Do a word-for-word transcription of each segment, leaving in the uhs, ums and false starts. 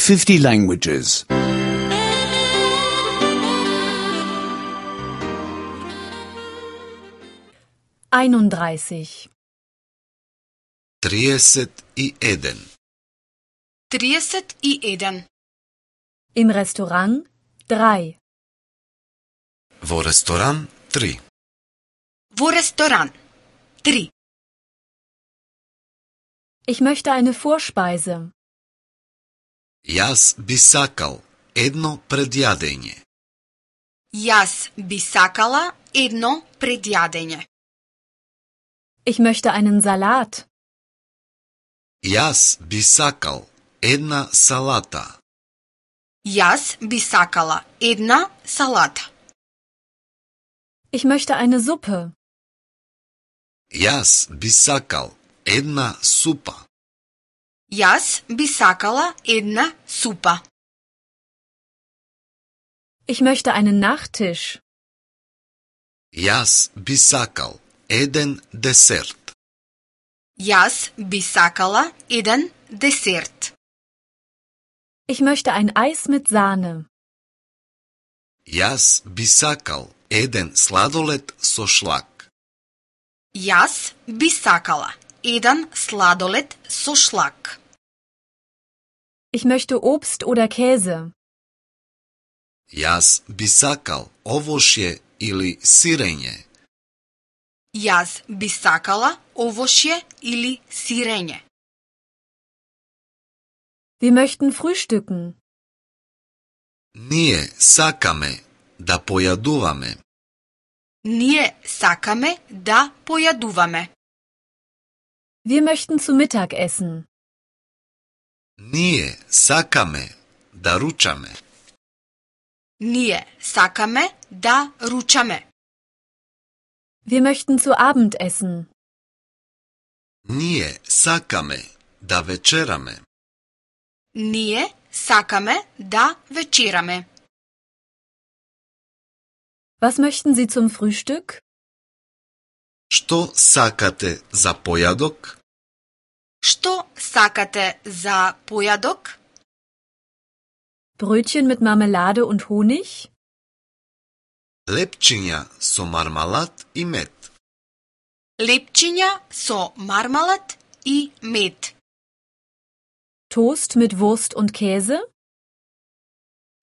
fifty languages. einunddreißig. триесет и еден. trideset i jedan. Im Restaurant drei. Во ресторан три. Во ресторан tri. Ich möchte eine Vorspeise. Јас би сакал едно предјадење. Јас би сакала едно предјадење. Ich möchte einen Salat. Јас би сакал една салата. Јас би сакала една салата. Ich möchte eine Suppe. Јас би сакал една супа. Јас би сакала една супа. Ich möchte einen Nachtisch. Јас би сакал еден десерт. Јас би сакала еден десерт. Ich möchte ein Eis mit Sahne. Јас би сакал еден сладолед со шлак. Јас би сакала еден сладолед со шлак. Ich möchte Obst oder Käse. Јас би сакал овошје или сирење. Јас би сакала овошје или сирење. Wir möchten frühstücken. Ние сакаме да појадуваме. Ние сакаме да појадуваме. Wir möchten zu Mittag essen. Ние сакаме да ручаме. Ние сакаме да ручаме. Wir möchten zu Abend essen. Ние сакаме да вечераме. Ние сакаме да вечераме. Was möchten Sie zum Frühstück? Што сакате за појадок? Што сакате за појадок? Brötchen mit Marmelade und Honig? Лепчиња со мармалад и мед. Лепчиња со мармалад и мед. Toast mit Wurst und Käse?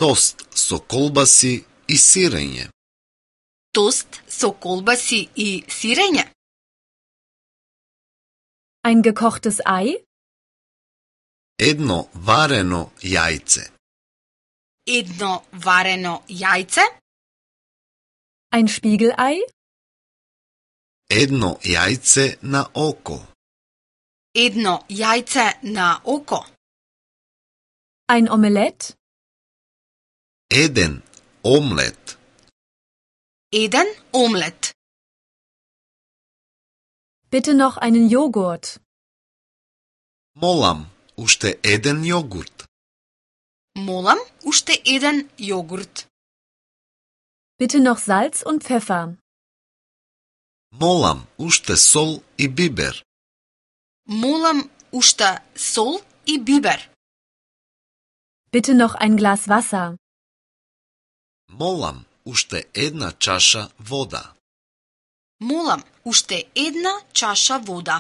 Тост со колбаси и сирење. Тост со колбаси и сирење. Ein gekochtes Ei? Едно варено јајце. Едно варено јајце. Ein Spiegelei? Едно јајце на око. Едно јајце на око. Ein Omelett? Еден омлет. Еден омлет. Bitte noch einen Joghurt. Молам, уште еден јогурт. Молам, уште еден јогурт. Bitte noch Salz und Pfeffer. Молам, уште сол и бибер. Молам, уште сол и бибер. Bitte noch ein Glas Wasser. Молам, уште една чаша вода. Молам, уште една чаша вода.